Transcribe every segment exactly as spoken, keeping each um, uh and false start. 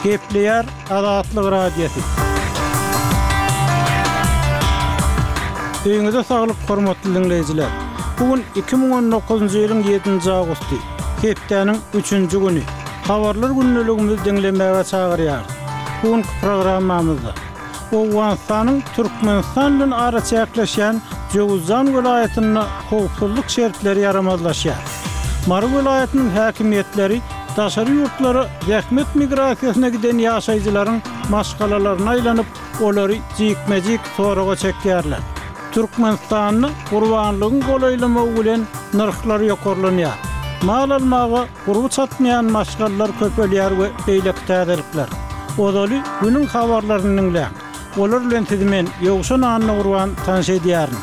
Gepleýär Azatlyk Radiosy. Öýüňize saglyk, hormatly diňleýjiler. Bu gün iki müň on dokuzynjy ýylyň ýedinji awgusty, hepdäniň üçünji güni. Habarlar gündeligimizi diňlemäge çagyrýarys. Bu günki programmamyzda Owganystanyň Türkmenistan bilen araçäkleşýän Jöwüzjan welaýatynda howpsuzlyk şertleri ýaramazlaşýar. Mary welaýatynyň häkimiýetleri daşary ýurtlara zähmet migrasiýasyna giden ýaşaýjylaryň maşgalalaryna aýlanyp, olary jikme-jik soraga çekýärler. Türkmenistanda gurbanlygyň golaýlamagy bilen nyrhlar ýokarlanýar. Mal almaga gurby çatmaýan maşgalalar köpelýär we beýleki täzelikler. Ozaly günüň habarlaryny diňläň. Olar bilen sizi men Ýowşan Annagurban tanyş edýärin.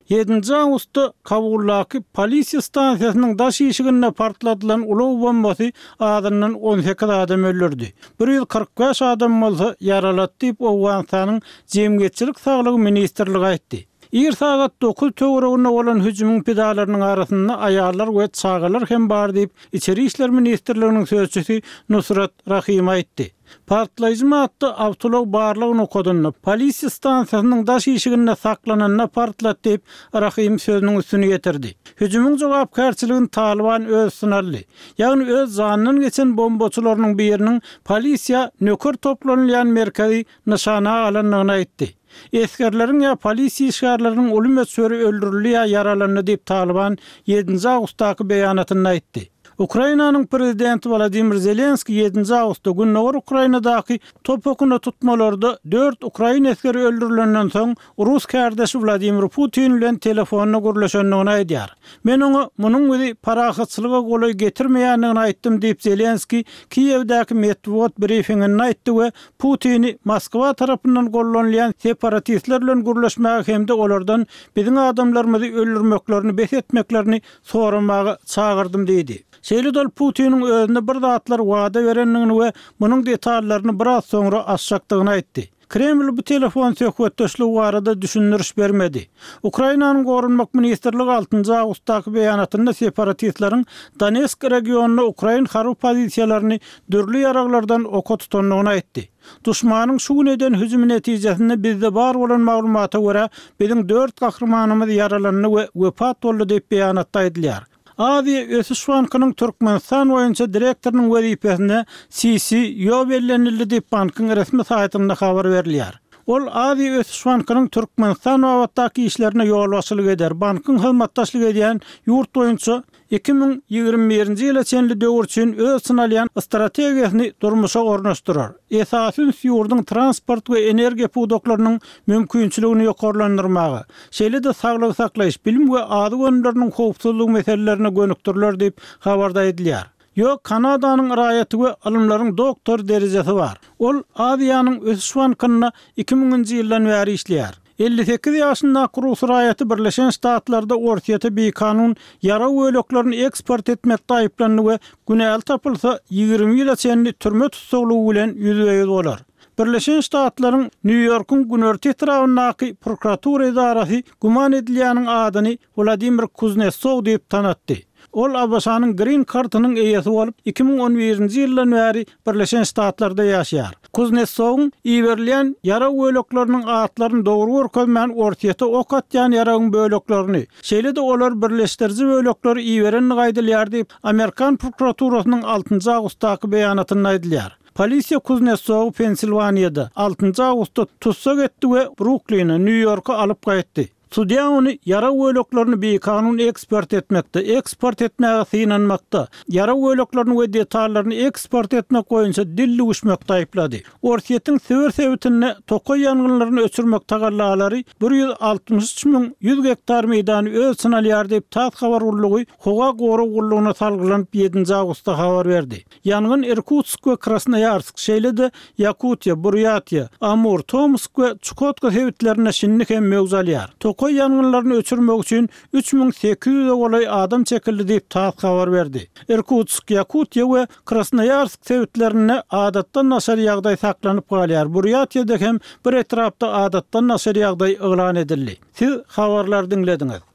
Ýedinji awgustda Kabuldaky polisiýa stansiýasynyň daş işiginde partladylan ulag bombasy azyndan on sekiz adam öldürdi. Bir ýüz kyrk bäş adam bolsa ýaralady diýip, Owganystanyň Jemgyýetçilik saglygy ministrligi aýtdy. Ir sagat dokuz töwereginde bolan hüjümiň pidalarynyň arasynda aýallar we çagalar hem bar diýip, Içeri işler ministrliginiň sözçüsi Nusrat Rahim aýtdy. Partlaýjy madda awtoulag barlag nokadynda, polisiýa stansiýasynyň daş işiginde saklananda partlatdy diýip, Rahim sözüniň üstüni ýetirdi. Hüjümiň jogapkärçiligini Talyban öz üstüne aldy. Ýagny öz janyndan geçen bombaçylarynyň biriniň polisiýa nöker toplanylýan merkezi nyşana alandygyny aýtdy. Esgerleriň ýa polisiýa işgärleriniň uly möçberi öldürildi ýa ýaralandy diýip Talyban ýedinji awgustdaky beýanatynda aýtdy. Ukrainanyň prezidenti Wladimir Zelenskiý ýedinji awgustda Gündogar Ukrainadaky top okuna tutmalarda dört ukrain esgeri öldürilenden soň rus kärdeşi Wladimir Putin bilen telefonda gürleşendigini aýdýar. Men oňa munuň bizi parahatçylyga golaý getirmeýändigini aýtdym diýip Zelenskiý Kiýewdäki metbugat brifinginde aýtdy we Putini Moskwa tarapyndan gollanylýan separatistler bilen gürleşmäge hem-de olardan biziň adamlarymyzy öldürmeklerini bes etmeklerini soramaga çagyrdym diýdi. Şeýle-de ol Putiniň özüne bir zatlar wada berendigini we munuň detallaryny biraz soňra açjakdygyny aýtdy. Kreml bu telefon söhbetdeşligi barada düşündiriş bermedi. Ukrainanyň Goranmak ministrligi altynjy awgustdaky beýanatynda separatistleriň Donetsk regionynda ukrain harby pozisiýalaryny dürli ýaraglardan oka tutandygyny aýtdy. Duşmanyň şu gün eden hüjümi netijesinde bizde bar bolan maglumata görä, biziň dört gahrymanymyz ýaralandy we wepat boldy diýip beýanatda aýdylýar. Aziýa Ösüş Bankynyň Türkmenistan boýunça direktorynyň wezipesine Si Si Ýo bellenildi diýip bankyň resmi saýtynda habar berilýär. Ol Aziýa Ösüş Bankynyň Türkmenistan babatdaky işlerine ýolbaşçylyk eder. Bankyň hyzmatdaşlyk edýän ýurt boýunça iki müň ýigrimi birinji ýyla çenli döwür üçin öz synalýan strategiýasyny durmuşa ornaşdyrar. Esasy üns ýurduň transport we energiýa pudaklarynyň mümkinçiligini ýokarlandyrmaga, şeýle-de saglygy saklaýyş, bilim we azyk önümleriniň howpsuzlygy meselelerine gönükdiriler diýip habarda aýdylýar. Ýok, Kanadanyň raýaty we ylymlaryň doktor derejesi bar. Ol Aziýanyň Ösüş Bankynda iki müňünji ýyldan bäri işleýär. Elli sekiz ýaşyndaky rus raýaty Birleşen Ştatlarda Orsýete bikanun ýarag böleklerini eksport etmekde aýyplandy we günäli tapylsa ýigrimi ýyla çenli türme tussaglygy bilen ýüzbe-ýüz bolar. Birleşen Ştatlaryň Nýu-Ýorkuň günorta etrabyndaky prokuratura edarasy güman edilýäniň adyny Wladimir Kuznetsow diýip tanatdy. Ol A B Ş-nyň Green Card-ynyň eýesi bolup, iki müň on birinji ýyldan bäri Birleşen Ştatlarda ýaşaýar. Kuznetsowyň iberilýän ýarag bölekleriniň atlaryny dogry görkezmän Orsýete ok atýan ýaragyň böleklerini, şeýle-de olar birleşdiriji bölekleri iberenligi aýdylýar diýip, Amerikan prokuraturasynyň altynjy awgustdaky beýanatynda aýdylýar. Polisiýa Kuznetsowy Pensilwaniýada altynjy awgustda tussag etdi we Brukline, Nýu-Ýorka alyp gaýtdy. Sudýa ony ýarag böleklerini bikanun eksport etmekde, eksport etmäge synanmakda, ýarag böleklerini we detallaryny eksport etmek boýunça dil düwüşmekde aýyplady. Orsýetiň Sibir sebitinde tokaý ýangynlaryny öçürmek tagallalary bir ýüz altmyş üç müň ýüz gektar meýdany öz içine alýar diýip, TASS habar gullugy howa gorag gullugyna salgylanyp ýedinji awgustda habar berdi. Ýangyn Irkutsk we Krasnoýarsk, şeýle-de Ýakutiýa, Burýatiýa, Amur, Tomsk we Çukotka sebitlerinde şindi hem möwç alýar. Tokaý ýangynlaryny öçürmek üçin üç müň sekiz ýüze golaý adam çekildi diýip TASS habar berdi. Irkutsk, Ýakutiýa we Krasnoýarsk sebitlerinde adatdan daşary ýagdaý saklanyp galýar. Burýatiýada hem bir etrapda adatdan daşary ýagdaý yglan edildi. Siz habarlary diňlediňiz.